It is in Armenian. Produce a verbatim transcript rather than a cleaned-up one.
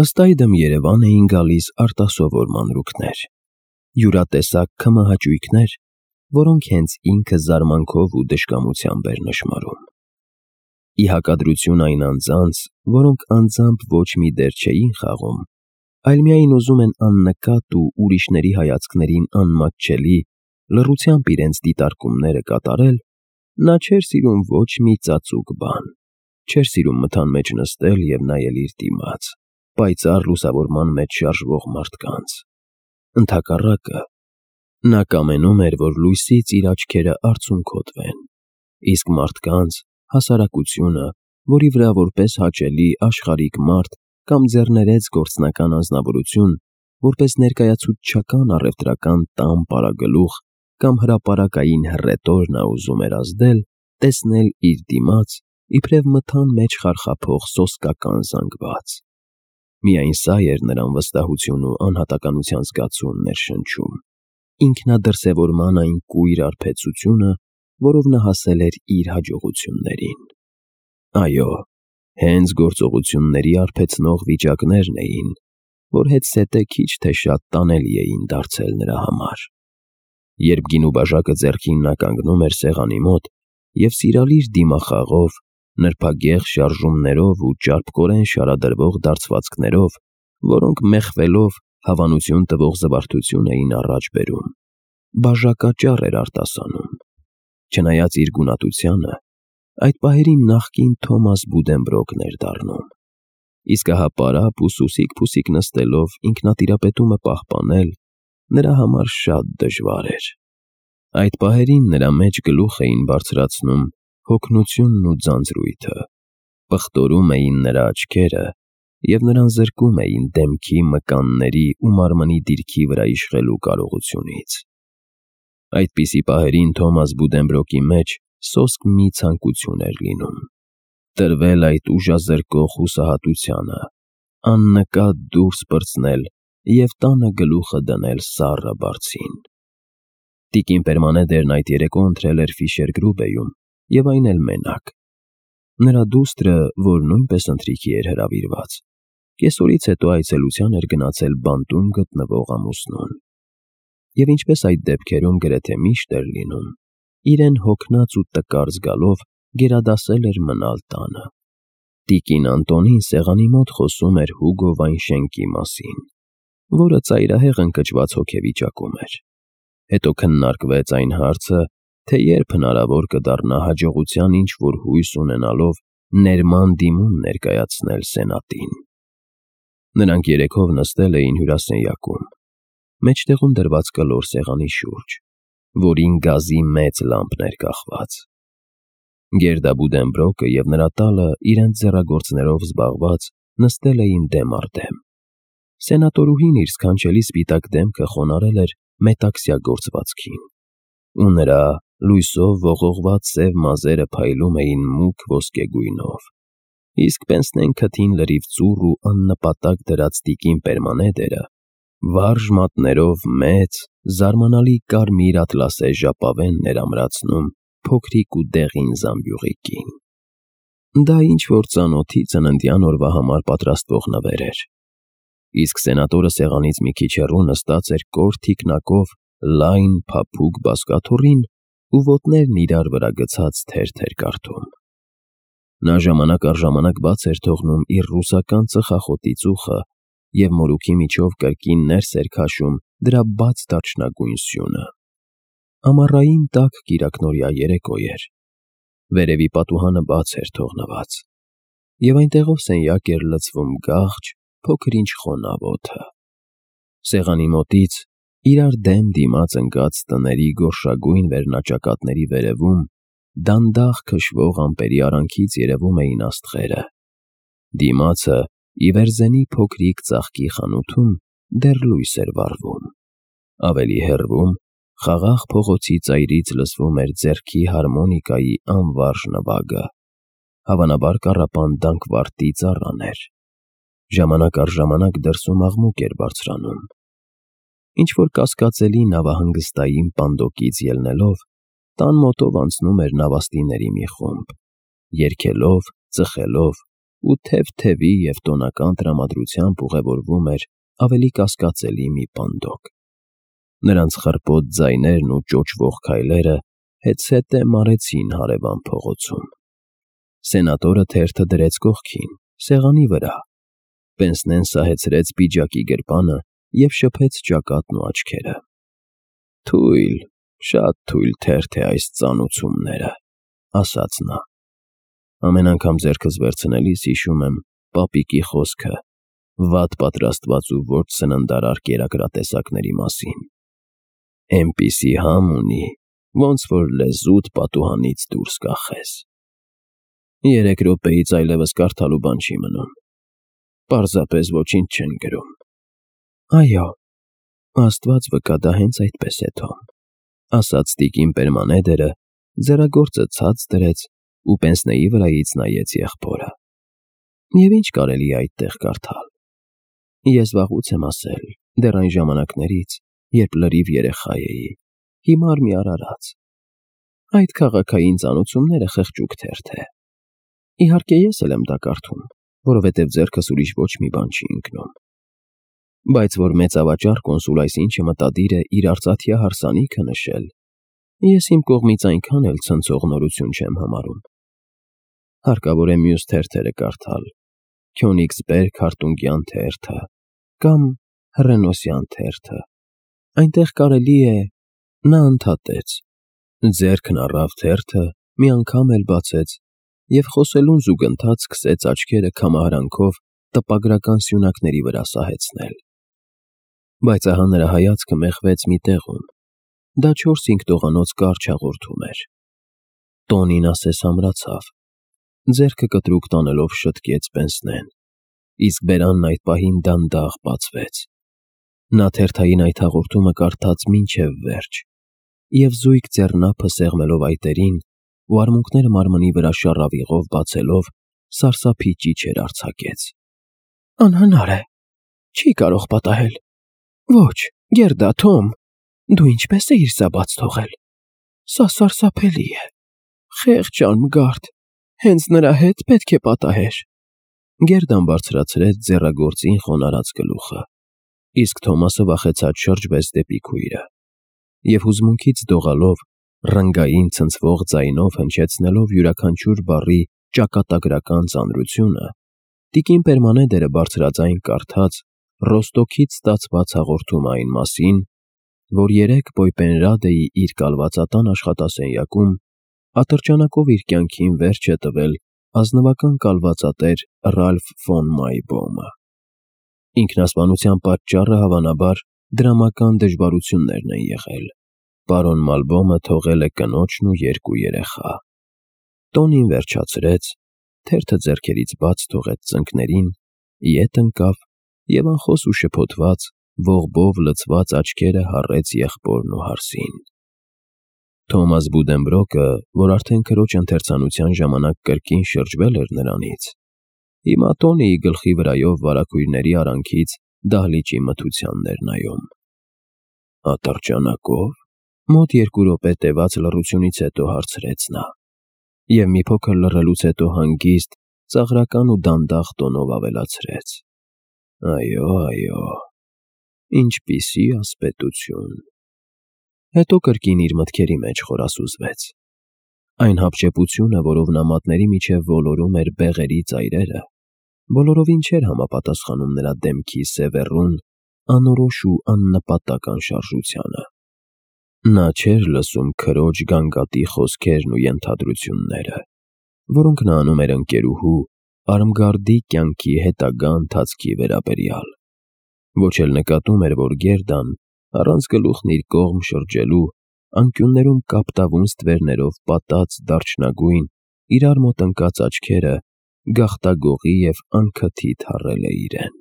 Ըստ այդմ Երևան էին գալիս արտասովոր մանրուքներ, յուրատեսակ քմահաճույքներ, որոնք հենց ինքը զարմանքով ու դժկամությամբ էր նշմարում։ Ի հակադրություն այն անձանց, որոնք անձամբ ոչ մի դեր չէին խաղում, այլ միայն ուզում են աննկատ ու ուրիշների հայացքներին անմատչելի լռությամբ իրենց դիտարկումները կատարել, նա չէր սիրում ոչ մի ծածուկ բան, չէր սիրում մթան մեջ նստել և նայել իր դիմաց, պայծառ լուսավորման մեջ շարժվող մարդկանց։ Ընդհակառակը, նա կամենում էր, որ լույսից իր աչքերը արցունքոտվեն, իսկ մարդկանց, հասարակությունը, որի վրա որպես հաճելի աշխարհիկ մարդ կամ ձեռներեց գործնական անձնավորություն, որպես ներկայացուցչական առևտրական տան պարագլուխ կամ հրապարակային հռետոր նա ուզում էր ազդել, տեսնել իր դիմաց, իբրև մթան մեջ խարխափող սոսկական զանգված։ Միայն սա էր նրան վստահություն ու անհատականության զգացում ներշնչում, ինքնադրսևորման այն կույր արբեցությունը, որով նա հասել էր իր հաջողություններին։ Այո, հենց գործողությունների արբեցնող վիճակներն էին, որ հետզհետե քիչ թե շատ տանելի էին դարձել նրա համար։ Երբ գինու բաժակը ձեռքին նա կանգնում էր սեղանի մոտ և սիրալիր դիմախաղով, նրբագեղ շարժումներով ու ճարպկորեն շարադրվող դարձվածքներով, որոնք մեխվելով հավանություն տվող զվարթություն էին առաջ բերում, բաժակաճառ էր արտասանում։ Չնայած իր գունատությանը, այդ պահերին նախկին Թոմաս Բուդենբրոկն էր դառնում, իսկ ահա պարապ ու սուսիկ-փուսիկ նստելով ինքնատիրապետումը պահպանել նրա համար շատ դժվար էր։ Այդ պահերին նրա մեջ գլուխ էին բարձրացնում հոգնությունն ու ձանձրույթը, պղտորում էին նրա աչքերը և նրան զրկում էին դեմքի, մկանների ու մարմնի դիրքի վրա իշխելու կարողությունից։ Այդպիսի պահերին Թոմաս Բուդենբրոկի մեջ սոսկ մի ցանկություն էր լինում՝ տրվել այդ ուժազրկող հուսահատությանը, աննկատ դուրս պրծնել և տանը գլուխը դնել սառը բարձին։ Տիկին Պերմանեդերն այդ երեկո ընթրել էր Ֆիշեր-Գրուբեյում և այն էլ մենակ։ Նրա դուստրը, որ նույնպես ընթրիքի էր հրավիրված, կեսօրից հետո այցելության էր գնացել բանտում գտնվող ամուսնուն։ Եվ ինչպես այդ դեպքերում գրեթե միշտ էր լինում, իրեն հոգնած ու տկար զգալով գերադասել էր մնալ տանը։ Տիկին Անտոնին սեղանի մոտ խոսում էր Հուգո Վայնշենկի մասին, որը ծայրահեղ ընկճված հոգեվիճակում էր։ Հետո քննարկվեց այն հարցը, թե երբ հնարավոր կդառնա հաջողության ինչ-որ հույս ունենալով ներման դիմում ներկայացնել Սենատին։ Նրանք երեքով նստել էին հյուրասենյակում, մեջտեղում դրված կլոր սեղանի շուրջ, որին գազի մեծ լամպն էր կախված։ Գերդա Բուդենբրոկը և նրա տալը իրենց ձեռագործներով զբաղված նստել էին դեմ առ դեմ։ Սենատորուհին իր սքանչելի սպիտակ դեմքը խոնարհել էր մետաքսյա գործվածքին, ու նրա լույսով ողողված սև մազերը փայլում էին մուգ ոսկեգույնով, իսկ պենսնեն քթին լրիվ ծուռ ու աննպատակ դրած տիկին Պերմանեդերը վարժ մատներով մեծ, զարմանալի կարմիր ատլասե ժապավենն էր ամրացնում փոքրիկ ու դեղին զամբյուղի կին։ Դա ինչ-որ ծանոթի ծննդյան օրվա համար պատրաստվող նվեր էր, իսկ սենատորը սեղանից մի քիչ հեռու նստած էր կոր թիկնակով լայն, փափուկ բազկաթոռին ու ոտներն իրար վրա գցած թերթ էր կարդում։ Նա ժամանակ առ ժամանակ բաց էր թողնում իր ռուսական ծխախոտի ծուխը և մորուքի միջով կրկին ներս էր քաշում դրա բաց դարչնագույն սյունը։ Ամառային տաք կիրակնօրյա երեկո էր, վերևի պատուհանը բաց էր թողնված, և այնտեղով սենյակ էր լցվում գաղջ, փոքր-ինչ խոնավ օդը։ Սեղանի մոտից, իրար դեմ դիմաց ընկած տների գորշագույն վերնաճակատների վերևում, դանդաղ քշվող ամպերի արանքից երևում էին աստղերը։ Դիմացը, ի վերզենի փոքրիկ ծաղկի խանութում, դեռ լույս էր վառվում։ Ավելի հեռվում, խաղաղ փողոցի ծայրից լսվում էր ձեռքի հարմոնիկայի անվարժ նվագը, հավանաբար կառապան դանքվարտի ծառան էր։ Ժամանակ առ ժամանակ դրսում աղմուկ էր բարձրանում։ Ինչ-որ կասկածելի նավահանգստային պանդոկից ելնելով, տան մոտով անցնում էր նավաստիների մի խումբ, երգելով, ծխելով ու թև-թևի և տոնական տրամադրությամբ ուղևորվում էր ավելի կասկածելի մի պանդոկ։ Նրանց խռպոտ ձայներն ու ճոճվող քայլերը հետզհետե մարեցին հարևան փողոցում։ Սենատորը թերթը դրեց կողքին, սեղանի վրա։ Պենսնեն սահեցրեց պիջակի գրպանը և շփեց ճակատն ու աչքերը։ «Թույլ, շատ թույլ թերթ է այս ծանուցումները», ասաց նա։ «Ամեն անգամ ձեռքս վերցնելիս հիշում եմ պապիկի խոսքը վատ պատրաստված ու ոչ սննդարար կերակրատեսակների մասին։ Էնպիսի համ ունի, ոնց որ լեզուդ պատուհանից դուրս կախես։ Երեք րոպեից այլևս կարդալու բան չի մնում։ Պարզապես ոչինչ չեն գրում»։ «Այո, Աստված վկա, դա հենց այդպես է, Թոմ», ասաց տիկին Պերմանեդերը, ձեռագործը ցած դրեց ու պենսնեի վրայից նայեց եղբորը։ «Եվ ինչ կարելի է այդտեղ կարդալ։ Ես վաղուց եմ ասել, դեռ այն ժամանակներից, երբ լրիվ երեխա էի, հիմար մի արարած։ Այդ քաղաքային ծանուցումները խղճուկ թերթ է։ Իհարկե ես էլ եմ դա կարդում, որովհետև ձեռքս ուրիշ ոչ մի բան չի ընկնում։ Բայց որ մեծավաճառ կոնսուլ այսինչը մտադիր է իր արծաթյա հարսանիքը նշել, ես իմ կողմից այնքան էլ ցնցող նորություն չեմ համարում։ Հարկավոր է մյուս թերթերը կարդալ, Քյոնիգսբերգ Հարտունգյան թերթը կամ Հռենոսյան թերթը։ Այնտեղ կարելի է…» Նա ընդհատեց, ձեռքն առավ թերթը, մի անգամ էլ բացեց և խոսելուն զուգընթաց սկսեց աչքերը քամահարանքով տպագրական սյունակների վրա սահեցնել։ Բայց ահա նրա հայացքը մեխվեց մի տեղում։ Դա չորս֊հինգ տողանոց կարճ հաղորդում էր։ Տոնին ասես ամրացավ։ Ձեռքը կտրուկ տանելով շտկեց պենսնեն, իսկ բերանն այդ պահին դանդաղ բացվեց։ Նա թերթային այդ հաղորդումը կարդաց մինչև վերջ և զույգ ձեռնափը սեղմելով այտերին ու արմունկները մարմնի վրա շառավիղով բացելով, սարսափի ճիչեր արձակեց։ «Անհնար է, չի կարող պատահել։ Ոչ, Գերդա, Թոմ, դու ինչպես էիր սա բաց թողել։ Սա սարսափելի է։ Խեղճ անմգարդ, հենց նրա հետ պետք է պատահեր»։ Գերդան բարձրացրեց ձեռագործին խոնարհած գլուխը, իսկ Թոմասը վախեցած շրջվեց դեպի քույրը և հուզմունքից դողալով, ռնգային ցնցվող ձայնով հնչեցնելով յուրաքանչյուր բառի ճակատագրական ծանրությունը, տիկին Պերմանեդերը բարձրաձայն կարդաց Ռոստոքից ստացված հաղորդումը այն մասին, որ երեկ Պոյպենրադեի իր կալվածատան աշխատասենյակում ատրճանակով իր կյանքին վերջ է տվել ազնվական կալվածատեր Ռալֆ ֆոն Մայբոմը։ Ինքնասպանության պատճառը հավանաբար դրամական դժվարություններն են եղել։ Պարոն Մալբոմը թողել է կնոջն ու երկու երեխա։ Տոնին վերջացրեց, թերթը ձեռքերից բաց թողեց ծնկներին, ետ ընկավ և անխոս ու շփոթված, ողբով լցված աչքերը հառեց եղբորն ու հարսին։ Թոմաս Բուդենբրոկը, որ արդեն քրոջ ընթերցանության ժամանակ կրկին շրջվել էր նրանից, հիմա Տոնիի գլխի վրայով վարագույրների արանքից դահլիճի մթությանն էր նայում։ «Ատրճանակով»։ Մոտ երկու րոպե տևած լռությունից հետո հարցրեց նա և մի փոքր լռելուց հետո հանգիստ, ծաղրական ու դանդաղ տոնով ավելացրեց. «Այո, այո, ինչպիսի ասպետություն»։ Հետո կրկին իր մտքերի մեջ խորասուզվեց։ Այն հապճեպությունը, որով նա մատների միջև ոլորում էր բեղերի ծայրերը, բոլորովին չէր համապատասխանում նրա դեմքի սևեռուն, անորոշ ու աննպատակ անշարժությանը։ Նա չէր լսում քրոջ գանգատի խոսքերն ու ենթադրությունները, որոնք նա անում էր ընկերուհու Արմգարդի կյանքի հետագա ընթացքի վերաբերյալ։ Ոչ էլ նկատում էր, որ Գերդան, առանց գլուխն իր կողմ շրջելու, անկյուններում կապտավուն ստվերներով պատած դարչնագույն, իրար մոտ ընկած աչքերը գաղտագողի և անքթիթ հառել է իրեն։